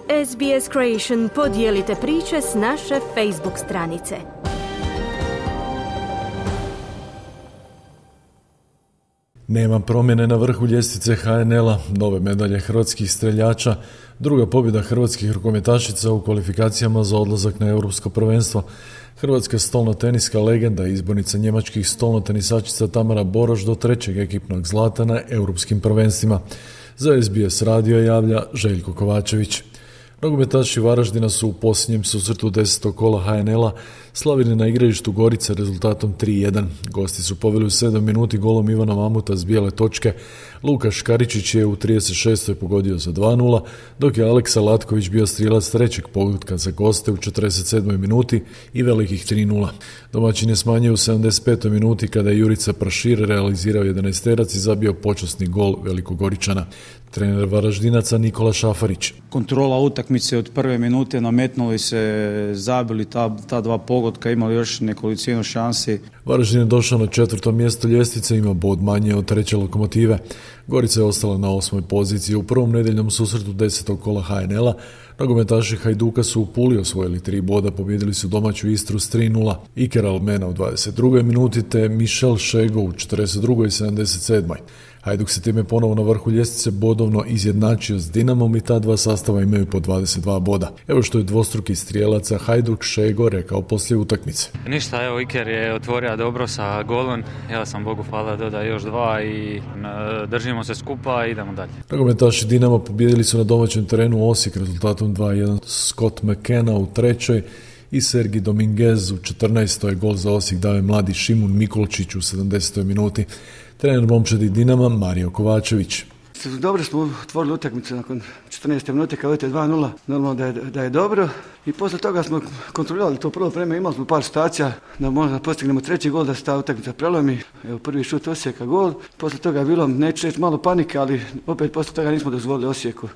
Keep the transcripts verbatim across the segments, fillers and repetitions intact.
S B S Creation, podijelite priče s naše Facebook stranice. Nema promjene na vrhu ljestvice H N L-a, nove medalje hrvatskih streljača, druga pobjeda hrvatskih rukometašica u kvalifikacijama za odlazak na europsko prvenstvo. Hrvatska stolnoteniska legenda i izbornica njemačkih stolnotenisačica Tamara Boroš do trećeg ekipnog zlata na europskim prvenstvima. Za S B S radio javlja Željko Kovačević. Nogometaši Varaždina su u posljednjem susretu desetog kola H N L-a slavili na igralištu Gorice rezultatom tri jedan. Gosti su poveli u sedam minuti golom Ivana Mamuta s bijele točke. Luka Škaričić je u trideset šestoj pogodio za dva nula, dok je Aleksa Latković bio strijelac trećeg pogotka za goste u četrdeset sedmoj minuti i velikih tri nula. Domaćin je smanjio u sedamdeset petoj minuti kada je Jurica Prašir realizirao jedanaesterac i zabio počasni gol Velikogoričana. Trener Varaždinaca Nikola Šafarić. Kontrola utakmice od prve minute, nametnuli se, zabili ta, ta dva pogotka, imali još nekolicinu šansi. Varaždin je došao na četvrto mjesto ljestvice, ima bod manje od treće Lokomotive. Gorica je ostala na osmoj poziciji. U prvom nedeljnom susretu desetog kola H N L-a nogometaši Hajduka su u Puli osvojili tri boda, pobjedili su domaću Istru s tri nula. Iker Almena u dvadeset drugoj minuti te Michel Šego u četrdeset drugoj i sedamdeset sedmoj. Hajduk se time ponovo na vrhu ljestvice bodovno izjednačio s Dinamom i ta dva sastava imaju po dvadeset dva boda. Evo što je dvostruki strijelaca Hajduk Šego rekao poslije utakmice. Ništa, evo Iker je otvorio dobro sa golom, ja sam Bogu hvala dodao još dva i držimo se skupa i idemo dalje. Nogometaši Dinama pobijedili su na domaćem terenu Osijek rezultatom dva jedan. Scott McKenna u trećoj i Sergi Dominguez u četrnaestoj. Gol za Osijek dao je mladi Šimun Mikolčić u sedamdesetoj minuti. Trener momčadi Dinama Mario Kovačević. Dobro smo otvorili utakmicu nakon četrnaeste minute kad vodite dva nula, normalno da je, da je dobro. I posle toga smo kontrolirali to prvo vreme, imali smo par situacija da možda postignemo treći gol, da se ta utakmica prelomi. Evo prvi šut Osijeka, gol. Posle toga je bilo, neću reći, malo panike, ali opet posle toga nismo dozvolili Osijeku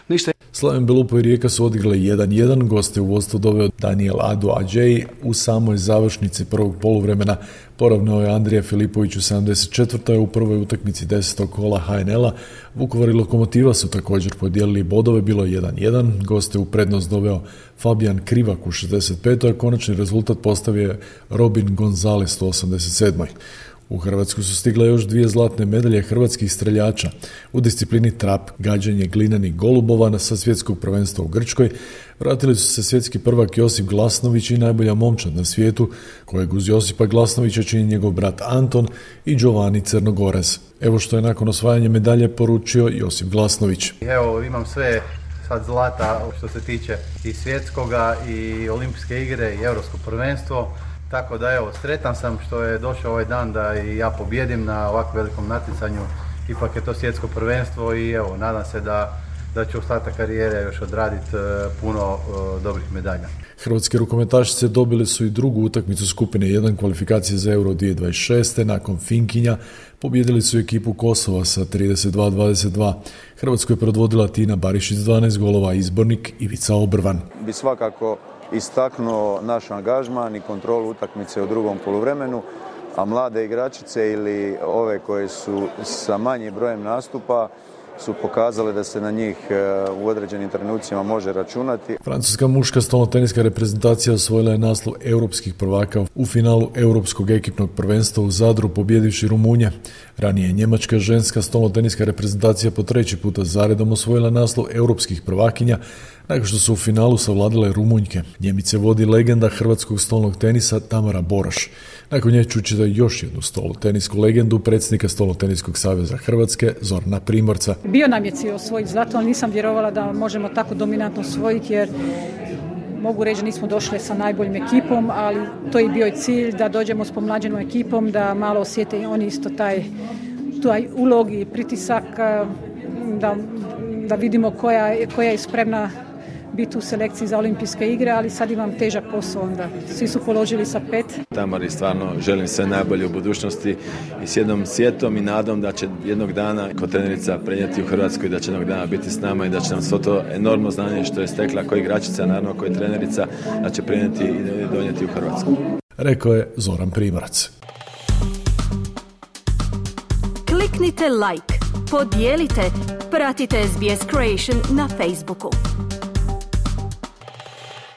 ništa. Slaven Belupo i Rijeka su odigrali jedan jedan, goste u vodstvo doveo Daniel Adu Adjei u samoj završnici prvog poluvremena. Poravnao je Andrija Filipović u sedamdeset četvrtoj u prvoj utakmici desetog kola H N L-a. Vukovar i Lokomotiva su također podijelili bodove, bilo je jedan jedan, goste u prednost doveo Fabijan Krivak u šezdeset petoj, a konačni rezultat postavio je Robin Gonzalez u osamdeset sedmoj. U Hrvatsku su stigle još dvije zlatne medalje hrvatskih streljača u disciplini trap, gađanje glinenih golubova sa svjetskog prvenstva u Grčkoj. Vratili su se svjetski prvak Josip Glasnović i najbolja momčad na svijetu, kojeg uz Josipa Glasnovića čini njegov brat Anton i Giovanni Crnogorez. Evo što je nakon osvajanja medalje poručio Josip Glasnović. Evo imam sve sad zlata što se tiče i svjetskoga i olimpijske igre i europsko prvenstvo. Tako da evo, sretan sam što je došao ovaj dan da i ja pobjedim na ovako velikom natjecanju. Ipak je to svjetsko prvenstvo i evo, nadam se da, da ću ostatak karijere još odraditi puno uh, dobrih medalja. Hrvatske rukometašice dobile su i drugu utakmicu skupine jedan kvalifikacije za Euro dvije tisuće dvadeset šeste. Nakon Finkinja pobijedili su ekipu Kosova sa trideset dva dvadeset dva. Hrvatsku je predvodila Tina Barišić s dvanaest golova, izbornik Ivica Obrvan. Bi svakako istaknuo naš angažman i kontrolu utakmice u drugom poluvremenu, a mlade igračice ili ove koje su sa manjim brojem nastupa su pokazale da se na njih u određenim trenucima može računati. Francuska muška stolnoteniska reprezentacija osvojila je naslov europskih prvaka u finalu europskog ekipnog prvenstva u Zadru, pobjedivši Rumunje. Ranije je njemačka ženska stolnoteniska reprezentacija po treći puta zaredom osvojila naslov europskih prvakinja nakon što su u finalu savladale Rumunjke. Njemice vodi legenda hrvatskog stolnog tenisa Tamara Boroš. Nakon nje čućete još jednu stolnotenisku legendu, predsjednika Stolnoteniskog saveza Hrvatske Zorana Primorca. Bio nam je cilj osvojiti zlato, ali nisam vjerovala da možemo tako dominantno osvojiti jer mogu reći da nismo došli sa najboljim ekipom, ali to je bio i cilj da dođemo s pomlađenom ekipom, da malo osjete oni isto taj, taj ulog i pritisak, da, da vidimo koja, koja je spremna biti u selekciji za olimpijske igre, ali sad imam težak posao onda. Svi su položili sa pet. Tamari stvarno želim sve najbolje u budućnosti i s jednom sjetom i nadom da će jednog dana kao trenerica prenijeti u Hrvatsku i da će jednog dana biti s nama i da će nam svo to enormno znanje što je stekla kao igračica, naravno kao trenerica, da će prenijeti i donijeti u Hrvatsku. Rekao je Zoran Primorac. Kliknite like, podijelite, pratite S B S Creation na Facebooku.